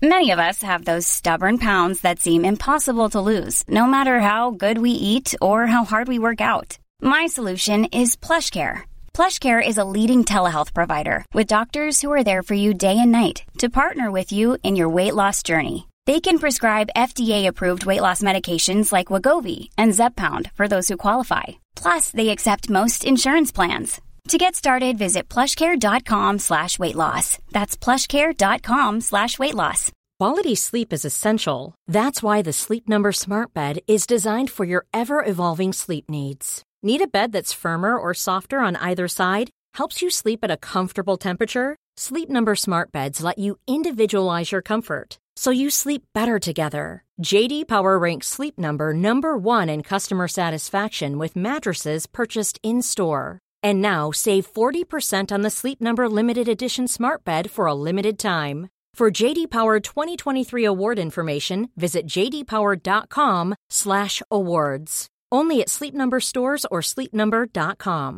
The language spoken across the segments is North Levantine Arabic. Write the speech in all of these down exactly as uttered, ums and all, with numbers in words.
Many of us have those stubborn pounds that seem impossible to lose, no matter how good we eat or how hard we work out. My solution is PlushCare. PlushCare is a leading telehealth provider with doctors who are there for you day and night to partner with you in your weight loss journey. They can prescribe F D A-approved weight loss medications like Wegovy and Zepbound for those who qualify. Plus, they accept most insurance plans. To get started, visit plushcare.com slash weight loss. That's plushcare.com slash weight loss. Quality sleep is essential. That's why the Sleep Number Smart Bed is designed for your ever-evolving sleep needs. Need a bed that's firmer or softer on either side? Helps you sleep at a comfortable temperature? Sleep Number Smart Beds let you individualize your comfort, so you sleep better together. J D Power ranks Sleep Number number one in customer satisfaction with mattresses purchased in-store. And now save forty percent on the Sleep Number Limited Edition Smart Bed for a limited time. For J D Power twenty twenty-three award information, visit jdpower.com slash awards. Only at Sleep Number stores or sleep number dot com.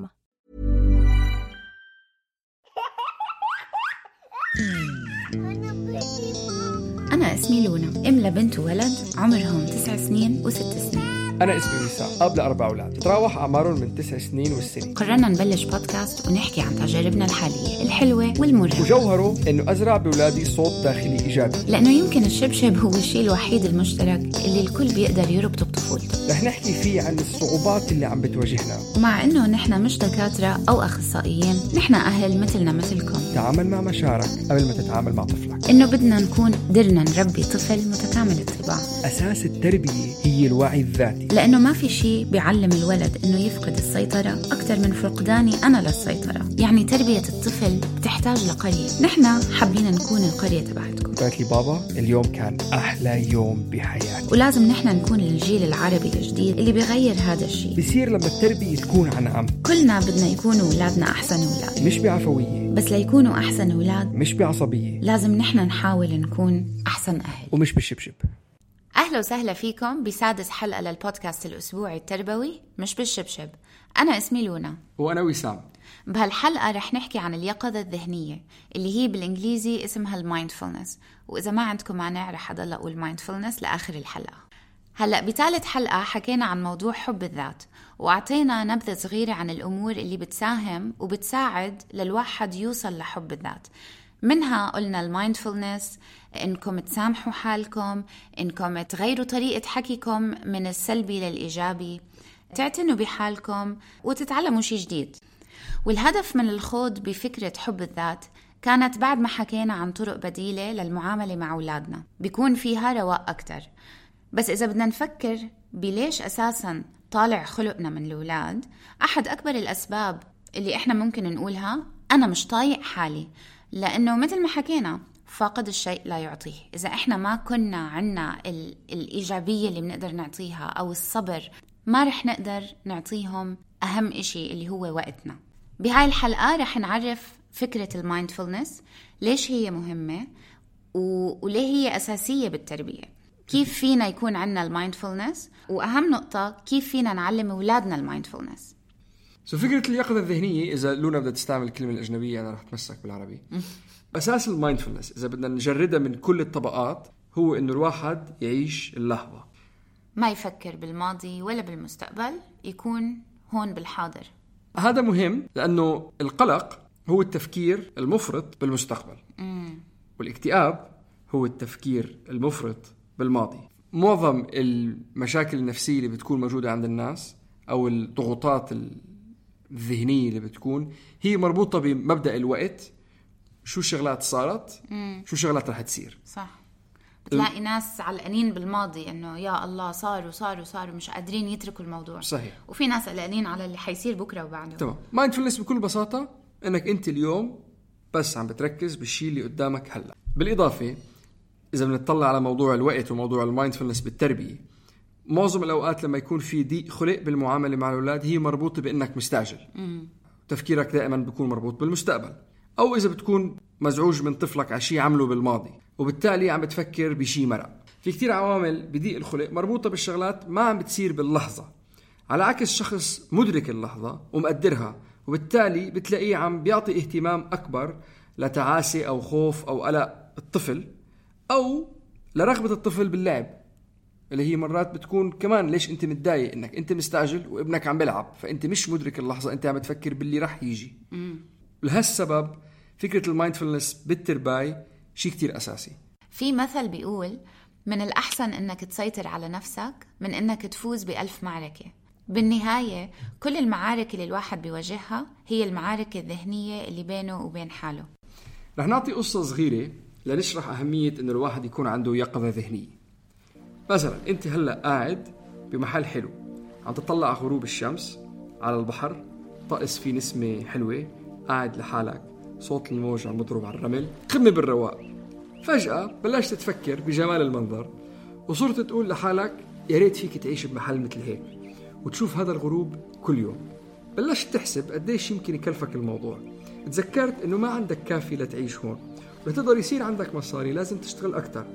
أنا اسمي لونا، أم لبنت وولد عمرهم تسع سنين وست سنين. أنا اسمي وسام، أب لأربع أولاد تتراوح أعمارهم من تسع سنين والسنة. قررنا نبلش بودكاست ونحكي عن تجاربنا الحالية الحلوة والمرة، وجوهره إنه أزرع بأولادي صوت داخلي إيجابي، لأنه يمكن الشبشب هو الشيء الوحيد المشترك اللي الكل بيقدر يربطه بطفولته. رح نحكي فيه عن الصعوبات اللي عم بتواجهنا، ومع إنه نحن مش دكاترة أو أخصائيين، نحن أهل مثلنا مثلكم. تعامل مع مشاعرك قبل ما تتعامل مع طفلك. إنه بدنا نكون قدرنا نربي طفل متكامل الطباع. أساس التربية هي الوعي الذاتي، لأنه ما في شيء بيعلم الولد إنه يفقد السيطرة أكثر من فقداني أنا للسيطرة. يعني تربية الطفل بتحتاج لقرية، نحن حابين نكون القرية تبعتكم. قالت لي بابا اليوم كان أحلى يوم بحياتي. ولازم نحن نكون الجيل العربي الجديد اللي بيغير هذا الشيء. بصير لما التربية تكون عن عم. كلنا بدنا يكونوا أولادنا أحسن أولاد، مش بعفوية، بس ليكونوا أحسن أولاد مش بعصبية. لازم نحن نحاول نكون أحسن أهل ومش بالشبشب. أهلا وسهلا فيكم بسادس حلقة للبودكاست الأسبوعي التربوي مش بالشبشب. أنا اسمي لونا وأنا وسام. بهالحلقة رح نحكي عن اليقظة الذهنية اللي هي بالإنجليزي اسمها المايندفولنس، وإذا ما عندكم مانع رح أضل أقول مايندفولنس لآخر الحلقة. هلأ بثالث حلقة حكينا عن موضوع حب الذات، وأعطينا نبذة صغيرة عن الأمور اللي بتساهم وبتساعد للواحد يوصل لحب الذات. منها قلنا المايندفولنس، إنكم تسامحوا حالكم، إنكم تغيروا طريقة حكيكم من السلبي للإيجابي، تعتنوا بحالكم وتتعلموا شيء جديد. والهدف من الخوض بفكرة حب الذات كانت بعد ما حكينا عن طرق بديلة للمعاملة مع أولادنا بيكون فيها رواق أكتر. بس إذا بدنا نفكر بليش أساساً طالع خلقنا من الأولاد، أحد أكبر الأسباب اللي إحنا ممكن نقولها أنا مش طايق حالي، لأنه مثل ما حكينا فاقد الشيء لا يعطيه. إذا إحنا ما كنا عنا ال- الإيجابية اللي بنقدر نعطيها أو الصبر، ما رح نقدر نعطيهم أهم إشي اللي هو وقتنا. بهاي الحلقة رح نعرف فكرة المايندفولنس، ليش هي مهمة و- وليه هي أساسية بالتربية، كيف فينا يكون عنا المايندفولنس، وأهم نقطة كيف فينا نعلم أولادنا المايندفولنس. سو فكرة اليقظة الذهنية، إذا لونا بدها تستعمل الكلمة الأجنبية أنا رح تمسك بالعربي. أساس المايندفولنس إذا بدنا نجردها من كل الطبقات هو إنه الواحد يعيش اللحظة، ما يفكر بالماضي ولا بالمستقبل، يكون هون بالحاضر. هذا مهم لأنه القلق هو التفكير المفرط بالمستقبل، مم. والاكتئاب هو التفكير المفرط بالماضي. معظم المشاكل النفسية اللي بتكون موجودة عند الناس أو الضغوطات الذهنية اللي بتكون هي مربوطة بمبدأ الوقت، شو شغلات صارت، مم. شو شغلات رح تصير. صح، بتلاقي ناس علقانين بالماضي إنه يا الله صار وصار وصار ومش قادرين يتركوا الموضوع. صحيح. وفي ناس قلقانين على اللي حيصير بكرة وبعده. تمام. مايندفولنس بكل بساطة إنك أنت اليوم بس عم بتركز بالشيء اللي قدامك هلأ. بالإضافة إذا بنطلع على موضوع الوقت وموضوع المايندفولنس بالتربية، معظم الأوقات لما يكون في ضيق خلق بالمعاملة مع الأولاد هي مربوطة بإنك مستعجل. مم. تفكيرك دائما بيكون مربوط بالمستقبل، أو إذا بتكون مزعوج من طفلك على شيء عمله بالماضي وبالتالي عم بتفكر بشيء مرق. في كتير عوامل بضيق الخلق مربوطة بالشغلات ما عم بتصير باللحظة، على عكس شخص مدرك اللحظة ومقدرها، وبالتالي بتلاقيه عم بيعطي اهتمام أكبر لتعاسي أو خوف أو قلق الطفل أو لرغبة الطفل باللعب، اللي هي مرات بتكون كمان ليش أنت متضايق إنك أنت مستعجل وابنك عم بلعب، فأنت مش مدرك اللحظة، أنت عم تفكر باللي رح يجي. لهالسبب فكرة المايندفولنس بالترباي شيء كتير أساسي. في مثل بيقول من الأحسن إنك تسيطر على نفسك من إنك تفوز بألف معركة. بالنهاية كل المعارك اللي الواحد بيواجهها هي المعارك الذهنية اللي بينه وبين حاله. رح نعطي قصة صغيرة لنشرح أهمية إنه الواحد يكون عنده يقظة ذهنية. مثلا أنت هلأ قاعد بمحل حلو عم تطلع على غروب الشمس على البحر، طقس فيه نسمة حلوة، قاعد لحالك، صوت الموج عم بضرب على الرمل، قمة بالرواق. فجأة بلشت تفكر بجمال المنظر وصرت تقول لحالك يا ريت فيك تعيش بمحل مثل هيك وتشوف هذا الغروب كل يوم. بلشت تحسب قديش يمكن يكلفك الموضوع. تذكرت انه ما عندك كافي لتعيش هون، ولتقدر يصير عندك مصاري لازم تشتغل اكتر.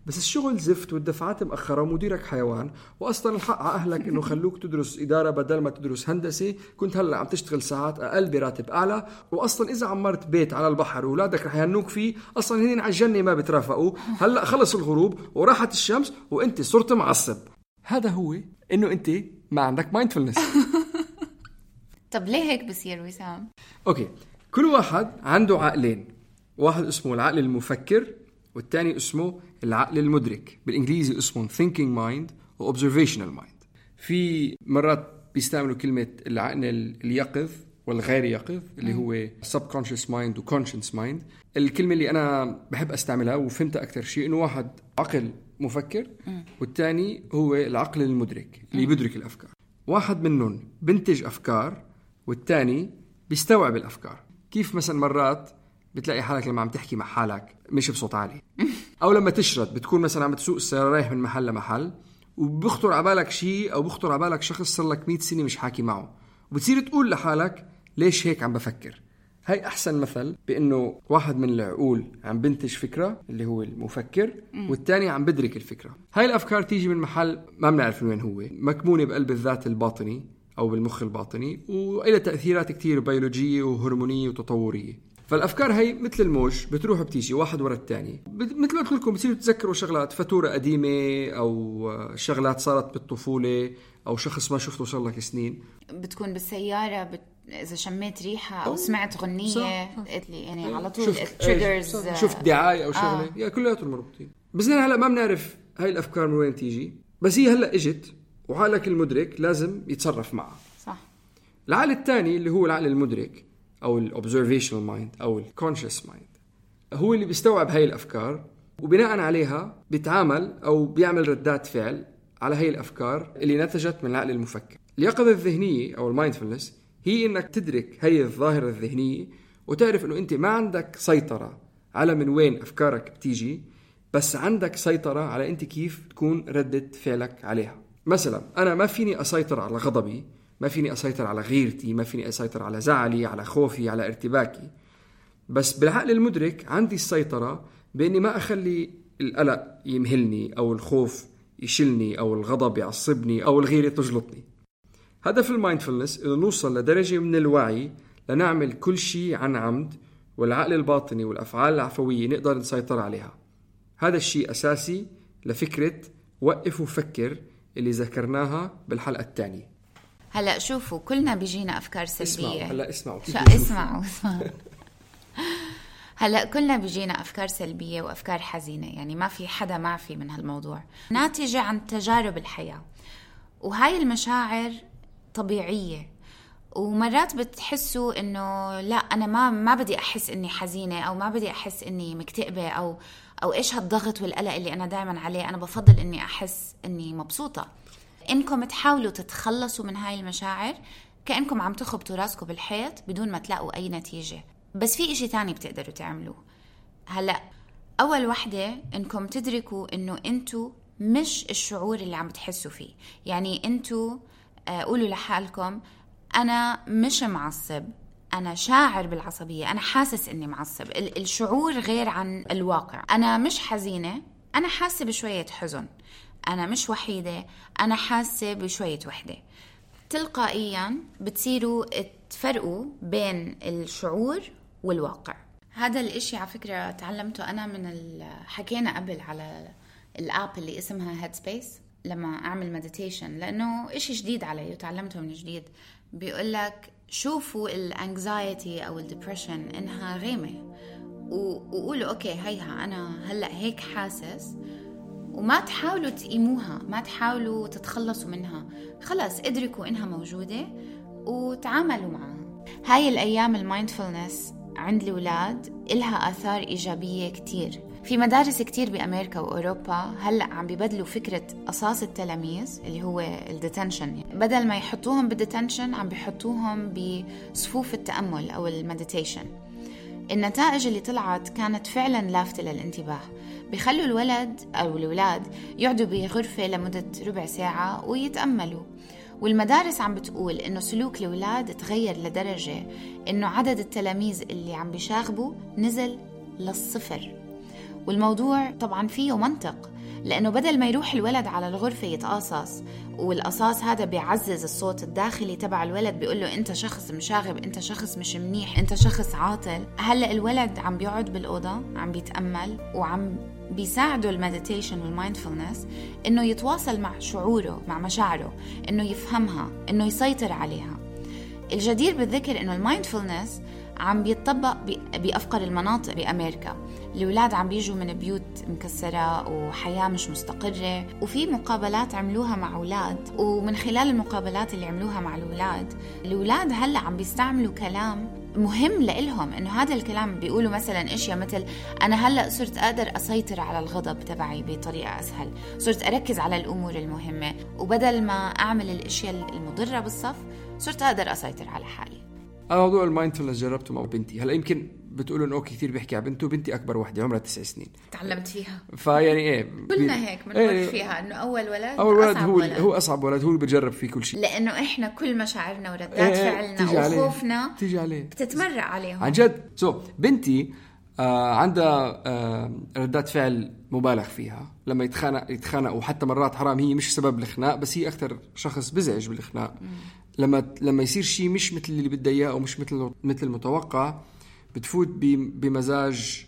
بس الشغل زفت والدفعات مأخرة ومديرك حيوان، وأصلا الحق على أهلك إنه خلوك تدرس إدارة بدل ما تدرس هندسة، كنت هلأ عم تشتغل ساعات أقل براتب أعلى، وأصلا إذا عمرت بيت على البحر وولادك رح يهنوك فيه، أصلا هنين على الجنة ما بترافقوا. هلأ خلص الغروب وراحت الشمس وإنت صرت معصب. هذا هو إنه أنت ما عندك مايندفولنس. طب ليه هيك بصير وسام؟ أوكي، كل واحد عنده عقلين، واحد اسمه العقل المفكر والتاني اسمه العقل المدرك، بالإنجليزي اسمه thinking mind و observational mind. في مرات بيستعملوا كلمة العقل اليقظ والغير يقظ اللي هو subconscious mind و conscious mind. الكلمة اللي أنا بحب أستعملها وفهمتها أكتر شيء إنه واحد عقل مفكر والتاني هو العقل المدرك اللي بيدرك الأفكار. واحد منهم بنتج أفكار والتاني بيستوعب الأفكار. كيف مثلا مرات بتلاقي حالك لما عم تحكي مع حالك مش بصوت عالي، أو لما تشرد بتكون مثلا عم تسوق السيارة رايح من محل لمحل وبخطر عبالك شيء أو بخطر عبالك شخص صار لك مئة سنة مش حاكي معه، وبتصير تقول لحالك ليش هيك عم بفكر. هاي أحسن مثل بأنه واحد من العقول عم بنتج فكرة اللي هو المفكر والتاني عم بدرك الفكرة. هاي الأفكار تيجي من محل ما بنعرف وين هو، مكمونة بقلب الذات الباطني أو بالمخ الباطني، وإلى تأثيرات كتير بيولوجية وهرمونية وتطورية. فالأفكار هاي مثل الموج بتروح بتيجي واحد ورا التاني. مثل ما قلت لكم بتصيروا تتذكروا شغلات، فاتورة قديمة أو شغلات صارت بالطفولة أو شخص ما شفته صار لك سنين. بتكون بالسيارة بت... إذا شميت ريحة أو سمعت غنية قلت لي يعني على طول تريجرز، شفت دعاية أو شغلة آه. يا كلياتهم مربوطين. بس هلا ما بنعرف هاي الأفكار من وين تيجي، بس هي هلا إجت وعقلك المدرك لازم يتصرف معها. صح. العقل الثاني اللي هو العقل المدرك أو ال observational mind أو ال conscious mind هو اللي بيستوعب هاي الأفكار وبناء عليها بيتعامل أو بيعمل ردات فعل على هاي الأفكار اللي نتجت من العقل المفكر. اليقظة الذهنية أو المايندفولنس هي إنك تدرك هاي الظاهرة الذهنية وتعرف إنه أنت ما عندك سيطرة على من وين أفكارك بتيجي، بس عندك سيطرة على أنت كيف تكون ردة فعلك عليها. مثلا أنا ما فيني أسيطر على غضبي، ما فيني أسيطر على غيرتي، ما فيني أسيطر على زعلي، على خوفي، على ارتباكي، بس بالعقل المدرك عندي السيطرة بإني ما أخلي القلق يمهلني أو الخوف يشلني أو الغضب يعصبني أو الغيرة تجلطني. هدف المايندفولنس إنه نوصل لدرجة من الوعي لنعمل كل شيء عن عمد، والعقل الباطني والأفعال العفوية نقدر نسيطر عليها. هذا الشيء أساسي لفكرة وقف وفكر اللي ذكرناها بالحلقة الثانية. هلأ شوفوا كلنا بيجينا أفكار سلبية. اسمعوا هلأ اسمعوا اسمعوا اسمعوا هلأ كلنا بيجينا أفكار سلبية وأفكار حزينة، يعني ما في حدا معفي من هالموضوع، ناتجة عن تجارب الحياة. وهاي المشاعر طبيعية، ومرات بتحسوا إنه لا أنا ما ما بدي أحس إني حزينة أو ما بدي أحس إني مكتئبة أو أو إيش هالضغط والقلق اللي أنا دائما عليه، أنا بفضل إني أحس إني مبسوطة. إنكم تحاولوا تتخلصوا من هاي المشاعر كأنكم عم تخبطوا راسكم بالحيط بدون ما تلاقوا أي نتيجة. بس في إشي تاني بتقدروا تعملوه. هلأ أول وحدة إنكم تدركوا إنه أنتوا مش الشعور اللي عم تحسوا فيه. يعني أنتوا قولوا لحالكم أنا مش معصب، أنا شاعر بالعصبية، أنا حاسس إني معصب. الشعور غير عن الواقع. أنا مش حزينة، أنا حاسة بشوية حزن. أنا مش وحيدة، أنا حاسة بشوية وحدة. تلقائيا بتصيروا تفرقوا بين الشعور والواقع. هذا الاشي على فكرة تعلمته أنا من حكينا قبل على الاب اللي اسمها Headspace لما أعمل مديتيشن، لأنه إشي جديد علي وتعلمته من جديد. بيقولك شوفوا الانكزايتي أو الديبريشن إنها غيمة وقولوا أوكي هيها أنا هلأ هيك حاسس، وما تحاولوا تقيموها، ما تحاولوا تتخلصوا منها، خلاص ادركوا إنها موجودة وتعاملوا معها. هاي الأيام المايندفولنس عند الأولاد إلها آثار إيجابية كتير. في مدارس كتير بأمريكا وأوروبا هلأ عم بيبدلوا فكرة قصاص التلاميذ اللي هو الديتنشن، بدل ما يحطوهم بالديتنشن عم بيحطوهم بصفوف التأمل أو المديتيشن. النتائج اللي طلعت كانت فعلا لافتة للانتباه. بيخلوا الولد أو الولاد يقعدوا بغرفة لمدة ربع ساعة ويتأملوا. والمدارس عم بتقول إنه سلوك الولاد تغير لدرجة إنه عدد التلاميذ اللي عم بيشاغبوا نزل للصفر. والموضوع طبعا فيه منطق، لأنه بدل ما يروح الولد على الغرفة يتقاصص، والقصاص هذا بيعزز الصوت الداخلي تبع الولد بيقول له أنت شخص مشاغب، أنت شخص مش منيح، أنت شخص عاطل. هلأ الولد عم بيقعد بالأوضة عم بيتأمل وعم بيساعده المديتيشن والمايندفولنس إنه يتواصل مع شعوره مع مشاعره، إنه يفهمها، إنه يسيطر عليها. الجدير بالذكر إنه المايندفولنس عم بيتطبق بأفقر المناطق بأمريكا. الأولاد عم بيجوا من بيوت مكسرة وحياة مش مستقرة، وفي مقابلات عملوها مع أولاد، ومن خلال المقابلات اللي عملوها مع الأولاد الأولاد هلأ عم بيستعملوا كلام مهم لإلهم. إنه هذا الكلام بيقولوا مثلا إشياء مثل أنا هلأ صرت أقدر أسيطر على الغضب تبعي بطريقة أسهل، صرت أركز على الأمور المهمة، وبدل ما أعمل الأشياء المضرة بالصف صرت أقدر أسيطر على حالي. أنا موضوع المايندفولنس جربته مع بنتي. هلا يمكن بتقولوا إنه أوكي كثير بيحكي على بنته، بنتي أكبر واحدة عمرها تسع سنين تعلمت فيها، فيعني إيه كلنا هيك بنمر إيه فيها إنه أول ولد أول ولد أصعب هو ولد. هو أصعب ولد، هو اللي بجرب فيه كل شيء، لأنه إحنا كل مشاعرنا وردات إيه فعلنا وخوفنا تيجي عليه بتتمرق عليهم عن جد. سو بنتي آه عندها آه ردات فعل مبالغ فيها لما يتخانق يتخانق وحتى مرات حرام هي مش سبب الخناق، بس هي أكثر شخص بزعج بالخناق. لما لما يصير شيء مش مثل اللي بدها اياه او مش مثل مثل المتوقع بتفوت بمزاج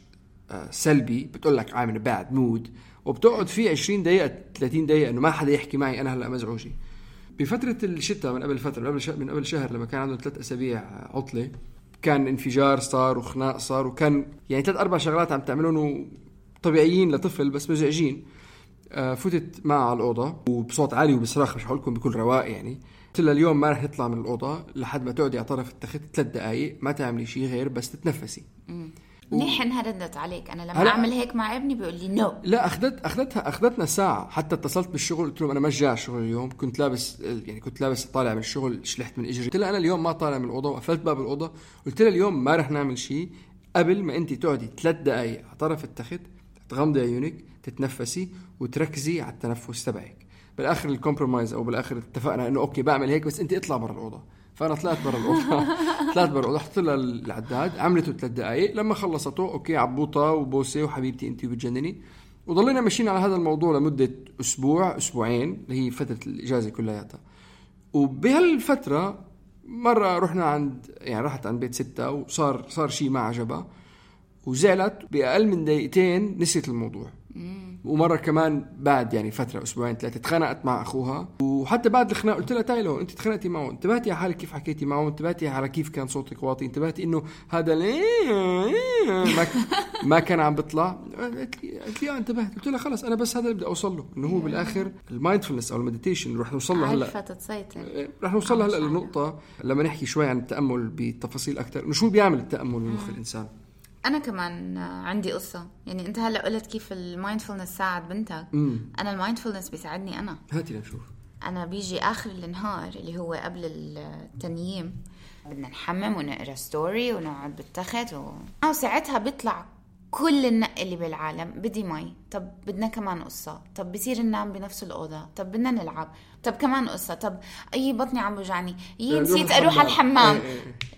سلبي، بتقول لك عامل باد مود، وبتقعد فيه عشرين دقيقه ثلاثين دقيقه انه ما حدا يحكي معي، انا هلا مزعوجه. بفتره الشتاء من قبل فتره من قبل شهر من قبل شهر لما كان عنده ثلاث اسابيع عطله، كان انفجار صار وخناق صار، وكان يعني ثلاث اربع شغلات عم تعملون طبيعيين لطفل بس مزعجين. فتت معه على الاوضه وبصوت عالي وبصراخ، مش هقول لكم بكل رواق يعني. قلت لها اليوم ما رح نطلع من الأوضة لحد ما تقعدي على طرف التخت ثلاث دقايق، ما تعملي شيء غير بس تتنفسي. منيح و... انها ردت عليك. انا لما اعمل هيك مع ابني بيقول لي نو. لا اخذت اخذتها اخذتنا ساعة. حتى اتصلت بالشغل قلت لهم انا ما جاي الشغل اليوم، كنت لابس يعني كنت لابس طالع من الشغل، شلحت من اجري. قلت لها انا اليوم ما طالع من الأوضة، وقفلت باب الأوضة. قلت لها اليوم ما رح نعمل شيء قبل ما انت تقعدي ثلاث دقايق على طرف التخت، تغمضي عيونك، تتنفسي وتركزي على التنفس تبعك. بالاخر الكومبرومايز او بالاخر اتفقنا انه اوكي بعمل هيك بس انت اطلع برا الاوضه. فانا طلعت برا الاوضه طلعت برا الاوضه، حطيت لها العداد، عملته ثلاث دقائق. لما خلصته اوكي عبوطه وبوسه وحبيبتي انت وبتجنني، وضلينا ماشيين على هذا الموضوع لمده اسبوع اسبوعين اللي هي فتره الاجازه كلياتها. وبهالفتره مره رحنا عند يعني رحت عند بيت ستة وصار صار شيء ما عجبها وزعلت، باقل من دقيقتين نسيت الموضوع. ومرة كمان بعد يعني فترة أسبوعين ثلاثة تخانقت مع أخوها، وحتى بعد الخناق قلت لها تايلو أنت تخانقتي معه، انتبهتي على حالك كيف حكيتي معه، انتبهتي على كيف كان صوتك واطي، انتبهتي إنه هذا ما ما كان عم بيطلع. قلت لي قلت لي انتبهت. قلت لها خلاص أنا بس هذا اللي بدي أوصل له، إنه هو بالآخر المايندفولنس أو المديتيشن رح نوصل له هلا رح نوصل له هلا للنقطة لما نحكي شوي عن التأمل بتفاصيل أكتر، إنه شو بيعمل التأمل بمخ الإنسان. أنا كمان عندي قصة. يعني أنت هلأ قلت كيف المايندفولنس ساعد بنتك. مم. أنا المايندفولنس بيساعدني أنا. هاتي نشوف. أنا بيجي آخر النهار اللي هو قبل التنييم بدنا نحمم ونقرأ ستوري ونقعد بالتخت و... وساعتها بيطلع كل النق اللي بالعالم. بدي مي، طب بدنا كمان قصة، طب بصير ننام بنفس الأوضة، طب بدنا نلعب، طب كمان قصة، طب أي بطني عم بوجعني، يي نسيت أروح على الحمام،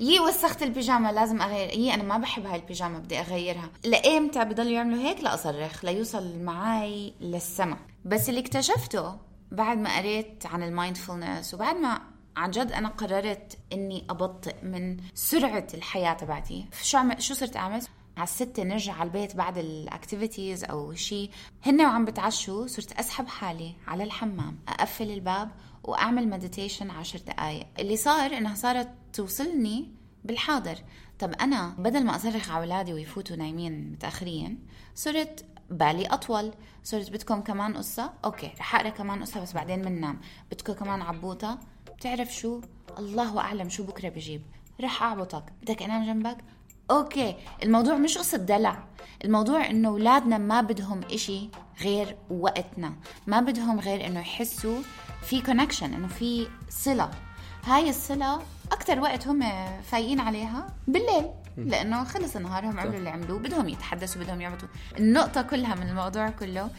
يي وسخت البيجامة لازم أغير، يي أنا ما بحب هاي البيجامة بدي أغيرها. لإمتى بضلوا يعملوا هيك؟ لا أصرخ ليوصل معاي للسما. بس اللي اكتشفته بعد ما قريت عن المايندفولنس وبعد ما عن جد أنا قررت إني أبطئ من سرعة الحياة تبعتي، شو عم... شو صرت أعمل؟ على الستة نرجع على البيت بعد الاكتيفيتيز أو شيء، هن وعم بتعشوا صرت أسحب حالي على الحمام، أقفل الباب وأعمل مديتيشن عشر دقايق. اللي صار إنها صارت توصلني بالحاضر. طب أنا بدل ما أصرخ على أولادي ويفوتوا نايمين متأخرين، صرت بالي أطول. صرت بدكم كمان قصة؟ أوكي رح أقرأ كمان قصة بس بعدين مننام. بدكم كمان عبوطة؟ بتعرف شو؟ الله أعلم شو بكرة بجيب، رح أعبطك. بدك أنام جنبك؟ أوكي. الموضوع مش قصة دلع، الموضوع إنه أولادنا ما بدهم إشي غير وقتنا، ما بدهم غير إنه يحسوا في كونكشن، إنه في صلة. هاي الصلة أكتر وقت هم فايقين عليها بالليل، لأنه خلص نهارهم عملوا اللي عملوه، بدهم يتحدثوا بدهم يعبطوا. النقطة كلها من الموضوع كله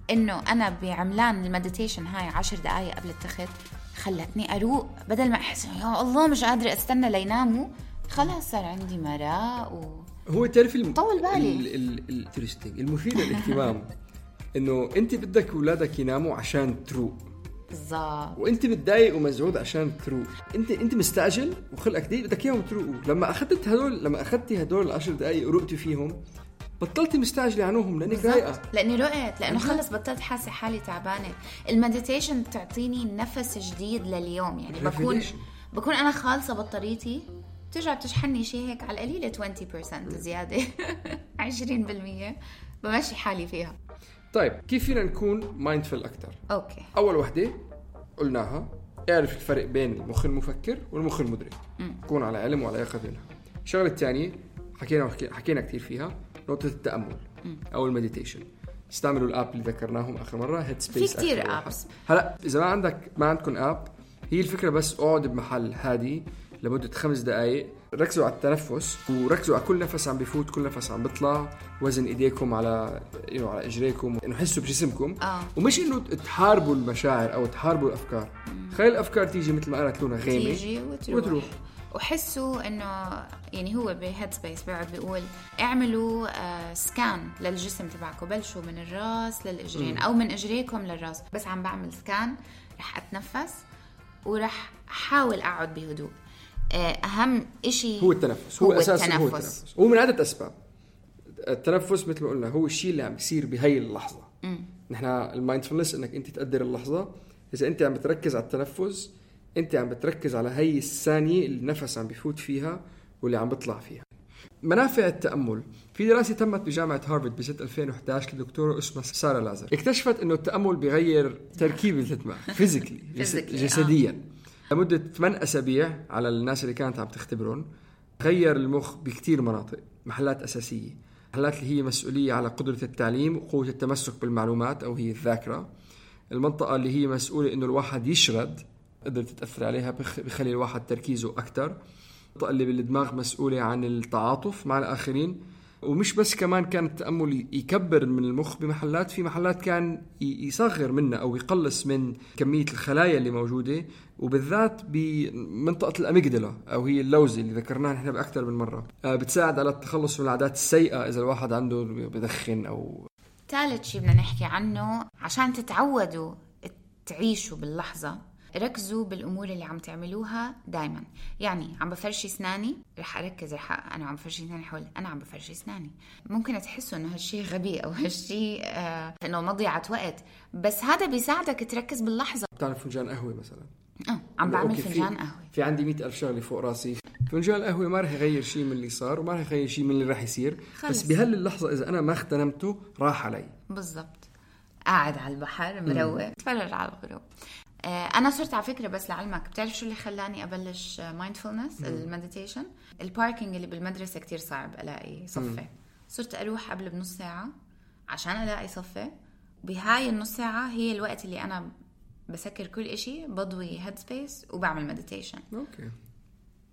إنه أنا بعملان المديتيشن هاي عشر دقايق قبل التخت خلتني أروق، بدل ما أحس يا الله مش قادرة أستنى ليناموا، خلاص صار عندي مراء و... هو تعرف الم... طول بالي الانترستينج المفيد للاهتمام إنه أنت بدك أولادك يناموا عشان تروق بالضبط، وانت متضايق ومزعوج عشان تروق. انت انت مستعجل وخلقك ضيق بدك اياهم تروقوا. لما اخذت هدول لما اخذتي هدول العشر دقائق ورقتي فيهم، بطلتي مستعجله عنهم لانك رايقه. لاني رقت، لانه خلص بطلت حاسه حالي تعبانه. المديتيشن بتعطيني نفس جديد لليوم، يعني بكون بكون انا خالصه بطاريتي، بترجع بتشحنني شيء هيك على القليله عشرين بالمية زياده عشرين بالمية بمشي حالي فيها. طيب كيف فينا نكون مايندفul أكتر؟ أوكي. أول وحدة قلناها، اعرف الفرق بين المخ المفكر والمخ المدرك، كون على علم وعلى يقظة منها. الشغلة الثانية حكينا حكينا كتير فيها، نقطة التأمل م. أو المديتيشن. استعملوا الآب اللي ذكرناهم آخر مرة، هيد سبيس. في كتير آبس. هلا إذا ما عندك ما عندكم آب، هي الفكرة بس اقعد بمحل هادي لمدة خمس دقائق، ركزوا على التنفس وركزوا على كل نفس عم بيفوت كل نفس عم بيطلع، وزن ايديكم على يعني على اجريكم، انه حسوا بجسمكم آه. ومش انه تحاربوا المشاعر او تحاربوا الافكار. خلي الافكار تيجي مثل ما قالت لونا غيمه تيجي وتروح, وتروح. وحسوا انه يعني هو بهيد سبيس بيقعد بيقول اعملوا آه سكان للجسم تبعكم، بلشوا من الراس للاجرين م. او من اجريكم للراس. بس عم بعمل سكان رح اتنفس ورح احاول اقعد بهدوء. أهم إشي هو التنفس، هو, هو أساس التنفس. هو التنفس هو من عدة أسباب. التنفس مثل ما قلنا هو الشيء اللي عم بيصير بهاي اللحظة. نحن المايندفولنس إنك أنت تقدر اللحظة. إذا أنت عم بتركز على التنفس، أنت عم بتركز على هاي الثانية اللي النفس عم بيفوت فيها واللي عم بيطلع فيها. منافع التأمل، في دراسة تمت بجامعة هارفارد بسنة ألفين وإحدى عشر لدكتورة اسمها سارة لازر، اكتشفت إنه التأمل بيغير تركيب الدماغ فيزيكلي جسديا. لمدة ثمانية أسابيع على الناس اللي كانت عم تختبرون، غير المخ بكتير مناطق، محلات أساسية، محلات اللي هي مسؤولية على قدرة التعليم وقوة التمسك بالمعلومات أو هي الذاكرة. المنطقة اللي هي مسؤولة إنه الواحد يشرد، قدرت تتأثر عليها بخلي الواحد تركيزه أكتر. المنطقة اللي بالدماغ مسؤولة عن التعاطف مع الآخرين. ومش بس كمان كان التأمل يكبر من المخ بمحلات، في محلات كان يصغر منها أو يقلص من كمية الخلايا اللي موجودة، وبالذات بمنطقة الأميجدلا أو هي اللوزة اللي ذكرناها نحن بأكثر من مرة. بتساعد على التخلص من العادات السيئة إذا الواحد عنده بدخن أو. ثالث شيء بدنا نحكي عنه عشان تتعودوا تعيشوا باللحظة، ركزوا بالأمور اللي عم تعملوها دايما. يعني عم بفرشي اسناني، رح أركز رح أنا عم بفرشي اسناني حول أنا عم بفرشي اسناني. ممكن تحسوا إنه هالشيء غبي أو هالشيء آه إنه مضيعة وقت، بس هذا بيساعدك تركز باللحظة. بتعمل فنجان قهوة مثلا، اه عم بعمل فنجان قهوة، في عندي مئة ألف شغلة فوق راسي. فنجان القهوة ما رح يغير شيء من اللي صار وما رح يغير شيء من اللي رح يصير، خلص. بس بهال اللحظة إذا أنا ما اغتنمته راح علي. بالضبط. قاعد على البحر مروق تفرج على الغروب. أنا صرت على فكرة بس لعلمك، بتعرف شو اللي خلاني أبلش مايندفولنس المديتيشن؟ الباركينج اللي بالمدرسة كتير صعب ألاقي صفة. صرت أروح قبل بنص ساعة عشان ألاقي صفة. بهاي النص ساعة هي الوقت اللي أنا بسكر كل إشي، بضوي هيد سبيس وبعمل مديتيشن. أوكي.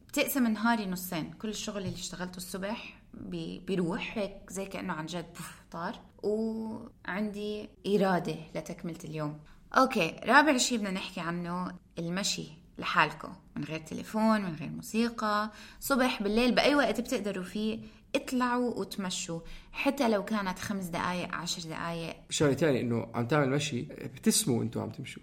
بتقسم نهاري نصين، كل الشغل اللي اشتغلته الصبح بي بيروح هيك زي كأنه عن جد طار، وعندي إرادة لتكملة اليوم. أوكي. رابع شيء بدنا نحكي عنه المشي لحالكم، من غير تليفون، من غير موسيقى، صبح بالليل بأي وقت بتقدروا فيه اطلعوا وتمشوا، حتى لو كانت خمس دقايق عشر دقايق. شغلة تاني إنه عم تعمل مشي بتسموا أنتوا عم تمشوا.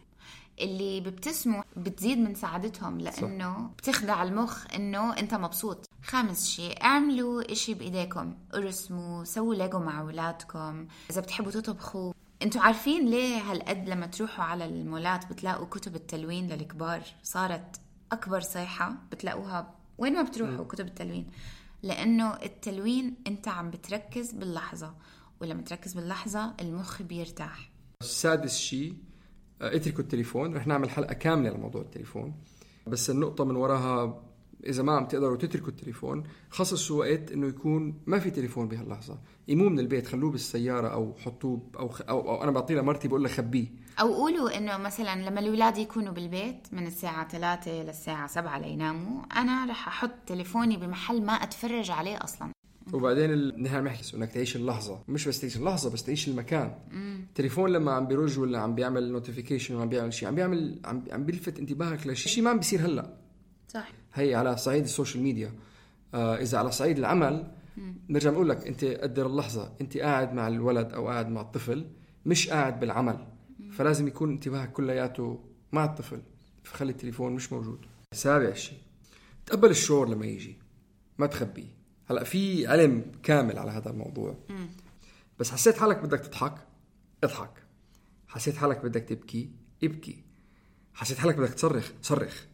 اللي بيبتسموا بتزيد من سعادتهم لأنه صح. بتخدع المخ إنه أنت مبسوط. خامس شيء، اعملوا إشي بإيديكم، ارسموا، سووا ليجو مع أولادكم، إذا بتحبوا تطبخوا. انتوا عارفين ليه هالقد لما تروحوا على المولات بتلاقوا كتب التلوين للكبار صارت أكبر صيحة بتلاقوها وين ما بتروحوا؟ م. كتب التلوين. لأنه التلوين أنت عم بتركز باللحظة، ولما تركز باللحظة المخ بيرتاح. السادس شيء، اتركوا التليفون. رح نعمل حلقة كاملة لموضوع التليفون، بس النقطة من وراها إذا ما عم تقدروا تتركوا التليفون خصصوا وقت إنه يكون ما في تليفون بهاللحظة. يمو من البيت، خلوه بالسيارة أو حطوه أو, خ... أو, أو أنا بعطيه لمرتي بقول لها خبيه، أو قولوا إنه مثلا لما الأولاد يكونوا بالبيت من الساعة ثلاثة للساعة سبعة ليناموا أنا رح أحط تليفوني بمحل ما أتفرج عليه أصلا. وبعدين ال... نحن بنحكي إنك تعيش اللحظة، مش بس تعيش اللحظة بس تعيش المكان. التليفون لما عم بيرج ولا عم بيعمل نوتيفيكيشن وعم بيعمل شيء عم بيعمل عم, عم بيلفت انتباهك لشيء ما عم بيصير هلا. صح. هي على صعيد السوشيال ميديا. آه إذا على صعيد العمل مم. نرجع نقول لك أنت قدر اللحظة، أنت قاعد مع الولد أو قاعد مع الطفل، مش قاعد بالعمل. مم. فلازم يكون انتباهك كلياته مع الطفل، فخلي التليفون مش موجود. سابع شيء، تقبل الشعور لما يجي، ما تخبيه. هلأ في علم كامل على هذا الموضوع. مم. بس حسيت حالك بدك تضحك، اضحك. حسيت حالك بدك تبكي، ابكي. حسيت حالك بدك تصرخ، صرخ.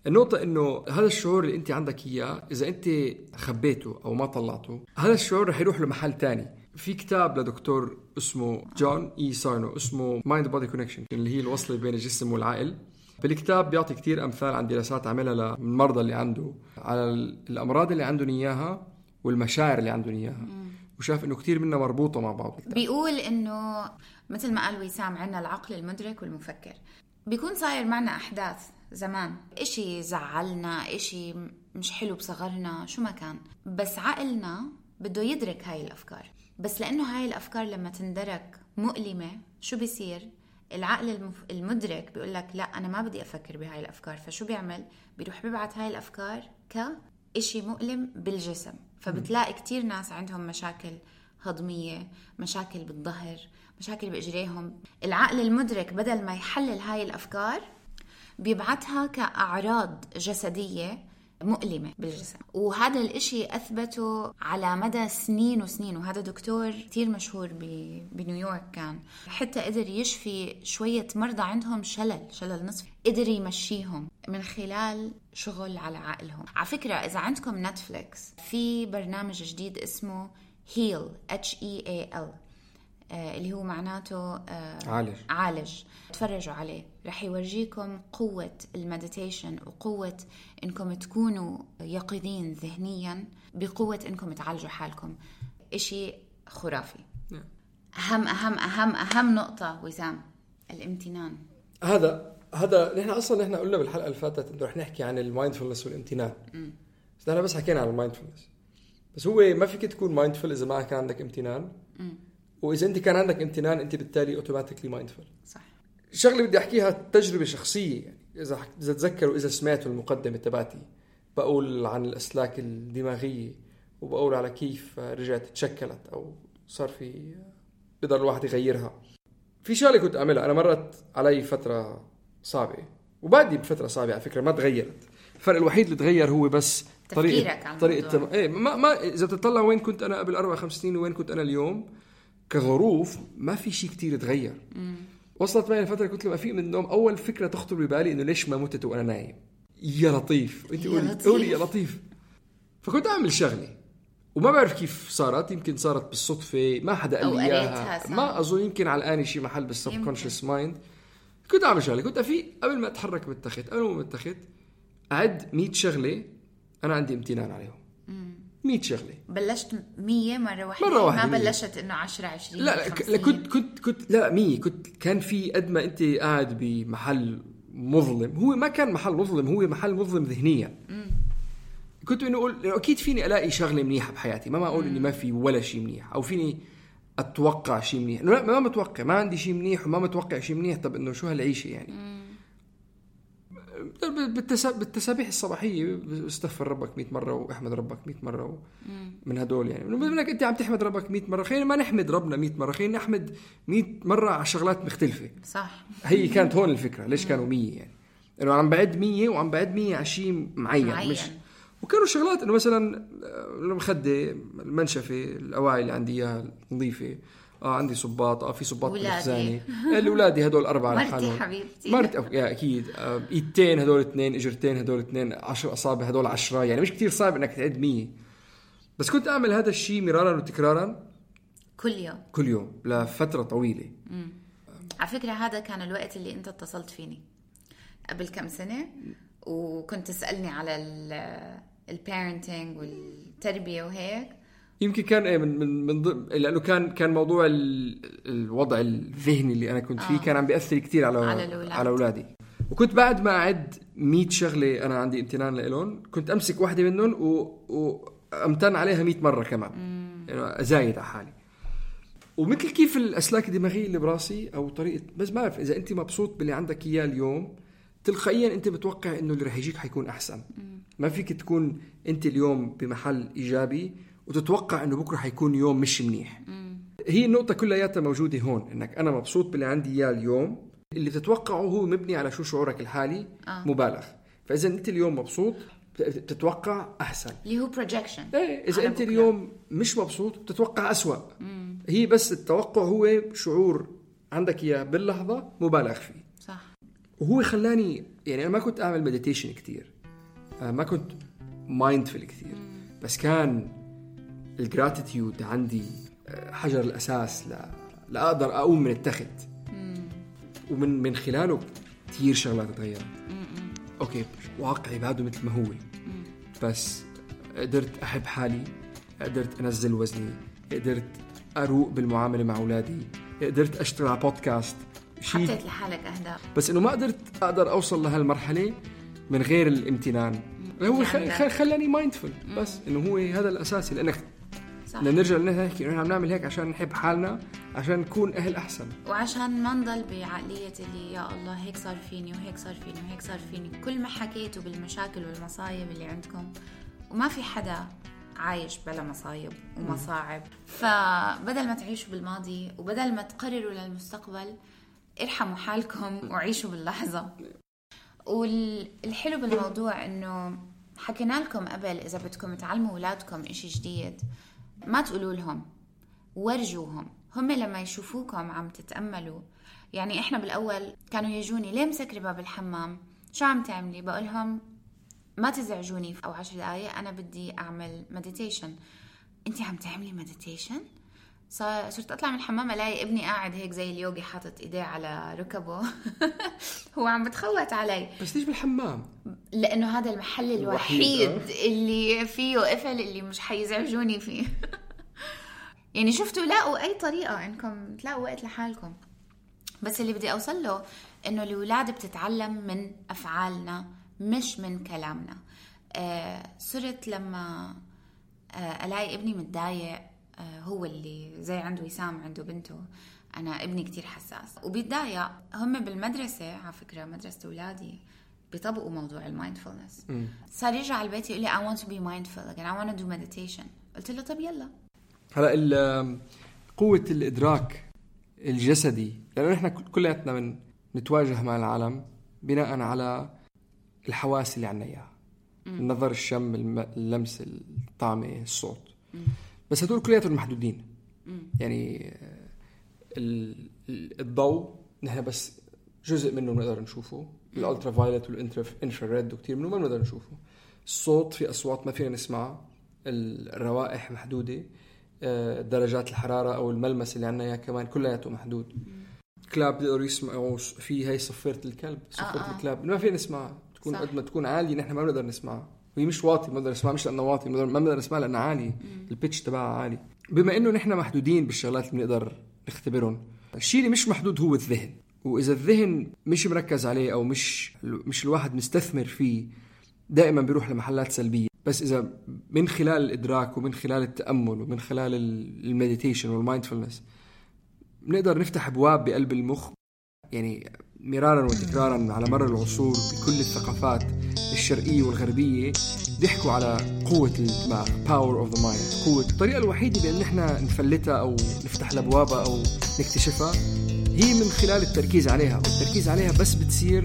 النقطة إنه هذا الشعور اللي أنت عندك إياه إذا أنت خبيته أو ما طلعته، هذا الشعور رح يروح لمحل تاني. في كتاب لدكتور اسمه جون إي سارنو اسمه Mind Body Connection، اللي هي الوصلة بين الجسم والعقل. بالكتاب بيعطي كتير أمثال عن دراسات عملها للمرضى اللي عنده على الأمراض اللي عندهم إياها والمشاعر اللي عندهم إياها، وشاف إنه كتير منها مربوطة مع بعض. بيقول إنه مثل ما قال وسام عنا العقل المدرك والمفكر. بيكون صاير معنا أحداث زمان، إشي زعلنا، إشي مش حلو بصغرنا، شو ما كان، بس عقلنا بده يدرك هاي الأفكار. بس لأنه هاي الأفكار لما تندرك مؤلمة، شو بيصير؟ العقل المف... المدرك بيقول لك لا أنا ما بدي أفكر بهاي الأفكار. فشو بيعمل؟ بيروح بيبعت هاي الأفكار كإشي مؤلم بالجسم. فبتلاقي كتير ناس عندهم مشاكل هضمية، مشاكل بالظهر، مشاكل بإجريهم. العقل المدرك بدل ما يحلل هاي الأفكار بيبعتها كأعراض جسدية مؤلمة بالجسم. وهذا الاشي أثبته على مدى سنين وسنين. وهذا دكتور كتير مشهور بنيويورك كان، حتى قدر يشفي شوية مرضى عندهم شلل شلل نصفي، قدر يمشيهم من خلال شغل على عقلهم. على فكرة إذا عندكم نتفليكس في برنامج جديد اسمه هيل H E A L اللي هو معناته عالج. عالج. تفرجوا عليه، رح يورجيكم قوة المديتيشن وقوة إنكم تكونوا يقظين ذهنيا بقوة إنكم تعالجوا حالكم. إشي خرافي. أهم أهم أهم أهم نقطة وسام، الامتنان. هذا هذا نحن أصلا نحن قلنا بالحلقة اللي فاتت إنه رح نحكي عن المايندفولنس والامتنان. م. بس نحن بس حكينا عن المايندفولنس، بس هو ما فيك تكون مايندفول إذا ما كان عندك امتنان. م. وإذا أنت كان عندك امتنان أنت بالتالي أوتوماتيكلي مايندفول. صح. شغلة بدي أحكيها تجربة شخصية، يعني إذا إذا تذكروا إذا سمعتوا المقدمة تبعتي بقول عن الأسلاك الدماغية وبقول على كيف رجعت تشكلت أو صار في بقدر الواحد يغيرها. في شغلة كنت أعملها أنا، مرت علي فترة صعبة وبعدي بفترة صعبة على فكرة ما تغيرت. الفرق الوحيد اللي تغير هو بس طريقة طريقة تم... إيه ما ما إذا بتطلع وين كنت أنا قبل أربع خمس سنين وين كنت أنا اليوم كظروف ما في شيء كتير تغير. مم. وصلت معي الفترة كنت لما أفيق من النوم أول فكرة تخطر ببالي إنه ليش ما متت وأنا نايم. يا لطيف أنت قولي قولي يا لطيف. فكنت أعمل شغلة وما بعرف كيف صارت، يمكن صارت بالصدفة ما حدا قال لي إياها، ما أظن يمكن على الآن شيء محل بالسبكونشس مايند. كنت أعمل شغلة، كنت أفيق قبل ما أتحرك من التخت، قبل ما أتخت أعد مية شغلة أنا عندي امتنان عليهم. مية شغلة. بلشت مية مرة واحدة، مرة واحدة ما بلشت إنه عشرة عشرين. لا لا كنت كنت كنت لا مية كنت كان في قد ما أنت قاعد بمحل مظلم، هو ما كان محل مظلم، هو محل مظلم ذهنيا. مم. كنت إنه أقول أكيد فيني ألاقي شغلة منيحة بحياتي، ما ما أقول إني ما في ولا شيء منيح، أو فيني أتوقع شيء منيح. لا ما متوقع، ما عندي شيء منيح وما متوقع شيء منيح. طب إنه شو هالعيشة يعني؟ مم. بالتسابيح الصباحية استغفر ربك مئة مرة واحمد ربك مئة مرة من هدول يعني منك أنت عم تحمد ربك مئة مرة خلينا ما نحمد ربنا مئة مرة خلينا نحمد مئة مرة على شغلات مختلفة. صح. هي كانت هون الفكرة ليش كانوا مية يعني إنه عم بعد مية وعم بعد مية على شيء معين, معين مش وكانوا شغلات إنه مثلا المخدة المنشفة الأواعي اللي عندي إياها نظيفة اه عندي صباط اه في صباط بالخزانه الاولادي هدول اربعه لحالهم حبيبتي مرتي أو... يا اكيد آه ايدتين هدول اثنين اجرتين هدول اثنين عشر اصابع هدول عشرة يعني مش كتير صعب انك تعد مية بس كنت اعمل هذا الشيء مرارا وتكرارا كل يوم كل يوم لفتره طويله. امم على فكره هذا كان الوقت اللي انت اتصلت فيني قبل كم سنه وكنت تسالني على البيرنتينج والتربيه وهيك. يمكن كان ايه من من من ضمن لانه كان كان موضوع الوضع الذهني اللي انا كنت فيه آه. كان عم بيأثر كتير على على, على اولادي وكنت بعد ما اعد مية شغله انا عندي امتنان لهم كنت امسك واحده منهم وامتن عليها مية مره كمان يعني ازايد على حالي. ومثل كيف الاسلاك الدماغيه اللي براسي او طريقه بس ما بعرف اذا انت مبسوط باللي عندك اياه اليوم تلقائيا انت بتوقع انه اللي رح يجيك حيكون احسن. ما فيك تكون انت اليوم بمحل ايجابي وتتوقع انه بكره حيكون يوم مش منيح. مم. هي النقطه كلياتها موجوده هون انك انا مبسوط باللي عندي اياه اليوم اللي تتوقعه هو مبني على شو شعورك الحالي آه. مبالغ. فاذا انت اليوم مبسوط بتتوقع احسن اللي هو projection. ايه اذا انت بكرة. اليوم مش مبسوط بتتوقع اسوأ. مم. هي بس التوقع هو شعور عندك اياه باللحظه مبالغ فيه. صح. وهو خلاني يعني انا ما كنت اعمل مديتيشن كتير ما كنت مايندفل كتير مم. بس كان الجراتيتيود عندي حجر الأساس لا لا أقدر أقوم من التخت ومن من خلاله كتير شغلات تغيرت. أوكي واقعي بعده مثل ما هو مم. بس قدرت أحب حالي قدرت أنزل وزني قدرت أروق بالمعاملة مع أولادي قدرت أشتغل على بودكاست حطيت لحالك أهداف بس إنه ما قدرت أقدر أوصل لهالمرحلة من غير الامتنان. هو خل... خلاني مايندفul بس إنه هو هذا الأساسي لأنك بدنا نرجع لنحكي إنه نحن بنعمل هيك عشان نحب حالنا عشان نكون أهل أحسن وعشان ما نضل بعقلية اللي يا الله هيك صار فيني وهيك صار فيني وهيك صار فيني. كل ما حكيتوا بالمشاكل والمصايب اللي عندكم وما في حدا عايش بلا مصايب ومصاعب. فبدل ما تعيشوا بالماضي وبدل ما تقرروا للمستقبل ارحموا حالكم وعيشوا باللحظة. والحلو بالموضوع إنه حكينا لكم قبل إذا بدكم تعلموا أولادكم إشي جديد ما تقولوا لهم ورجوهم. هم لما يشوفوكم عم تتأملوا يعني إحنا بالأول كانوا يجوني ليه مسكري باب الحمام شو عم تعملي بقولهم ما تزعجوني أو عشر دقايق أنا بدي أعمل مديتيشن. أنتي عم تعملي مديتيشن؟ صرت أطلع من الحمام ألاقي ابني قاعد هيك زي اليوغي حاطط إيديه على ركبه هو عم بتخوت علي. بس ليش بالحمام؟ لأنه هذا المحل الوحيد اللي فيه قفل اللي مش حيزعجوني فيه يعني شفتوا لاقوا أي طريقة إنكم تلاقوا وقت لحالكم. بس اللي بدي أوصل له إنه الأولاد بتتعلم من أفعالنا مش من كلامنا. آه صرت لما آه ألاقي ابني متضايق هو اللي زي عنده وسام عنده بنته أنا ابني كتير حساس وبيتضايق. هم بالمدرسة على فكرة مدرسة أولادي بيطبقوا موضوع المايندفولنس. صار يرجع على البيت يقول لي I want to be mindful again I want to do meditation. قلت له طب يلا. هلا قوة الإدراك الجسدي لأنه إحنا كلياتنا من نتواجه مع العالم بناء على الحواس اللي عنا إياها النظر الشم اللمس الطعم الصوت م. بس هدول كلياتهم محدودين. م. يعني الضوء نحن بس جزء منه بنقدر نشوفه الالترا فايولت والانفراريد وكتير منه ما بنقدر نشوفه. الصوت في اصوات ما فينا نسمعها الروائح محدوده درجات الحراره او الملمس اللي عندنا اياه كمان كلياته محدود. كلاب بيقدروا يسمعوا في هاي صفيره الكلب صفيره آه الكلاب ما فينا نسمعها تكون قد ما تكون عاليه نحن ما بنقدر نسمعها وهي مش واطي ما بنقدر نسمعها مش لانه واطي ما بنقدر نسمعها لانها عالي البيتش تبعها عالي. بما انه نحن محدودين بالشغلات اللي بنقدر نختبرهم الشيء اللي مش محدود هو الذهن. واذا الذهن مش مركز عليه او مش مش الواحد مستثمر فيه دائما بيروح لمحلات سلبيه. بس اذا من خلال الادراك ومن خلال التامل ومن خلال المديتيشن والمايندفولنس بنقدر نفتح ابواب بقلب المخ يعني مرارا وتكرارا على مر العصور بكل الثقافات الشرقية والغربية بيحكوا على قوة الدماغ power of the mind. قوة الطريقة الوحيدة بأن احنا نفلتها أو نفتح لبوابة أو نكتشفها هي من خلال التركيز عليها، والتركيز عليها بس بتصير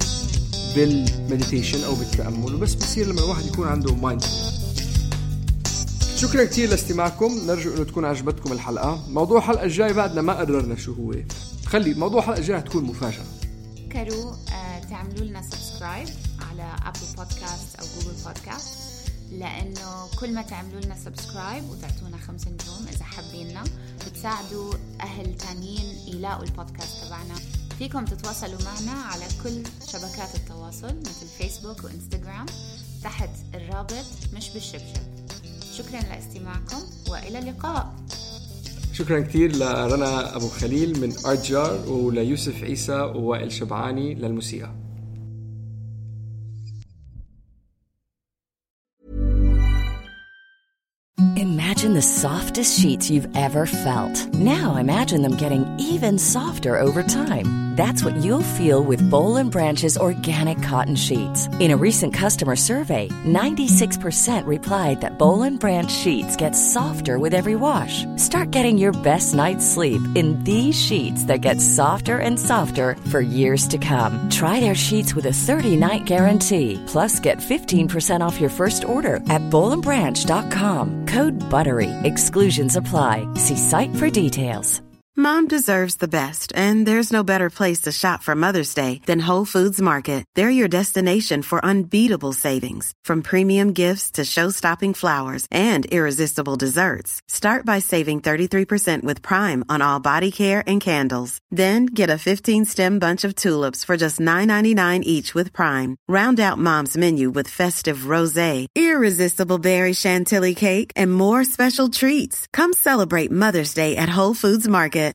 بالمديتيشن أو بالتأمل، وبس بتصير لما الواحد يكون عنده mindfulness. شكرا كتير لاستماعكم، نرجو أنه تكون عجبتكم الحلقة. موضوع الحلقة الجاي بعدنا ما قررنا شو هو، خلي موضوع الحلقة الجاي تكون مفاجأة. فكروا آه تعملوا لنا سبسكرايب على أبل بودكاست أو جوجل بودكاست، لأنه كل ما تعملوا لنا سبسكرايب وتعطونا خمس نجوم إذا حابيننا بتساعدوا أهل تانيين يلاقوا البودكاست تبعنا. فيكم تتواصلوا معنا على كل شبكات التواصل مثل فيسبوك وإنستغرام تحت الرابط مش بالشبشب. شكرا لاستماعكم وإلى اللقاء. شكرا كتير لرنا أبو خليل من أرتجار وليوسف عيسى ووائل شبعاني للموسيقى. Imagine the softest sheets you've ever felt. Now imagine them getting even softer over time. That's what you'll feel with Boll and Branch's organic cotton sheets. In a recent customer survey, ninety-six percent replied that Boll and Branch sheets get softer with every wash. Start getting your best night's sleep in these sheets that get softer and softer for years to come. Try their sheets with a thirty-night guarantee. Plus, get fifteen percent off your first order at boll and branch dot com. Code BUTTERY. Exclusions apply. See site for details. Mom deserves the best, and there's no better place to shop for Mother's Day than Whole Foods Market. They're your destination for unbeatable savings, from premium gifts to show-stopping flowers and irresistible desserts. Start by saving thirty-three percent with Prime on all body care and candles. Then get a fifteen-stem bunch of tulips for just nine ninety-nine each with Prime. Round out Mom's menu with festive rosé, irresistible berry chantilly cake, and more special treats. Come celebrate Mother's Day at Whole Foods Market.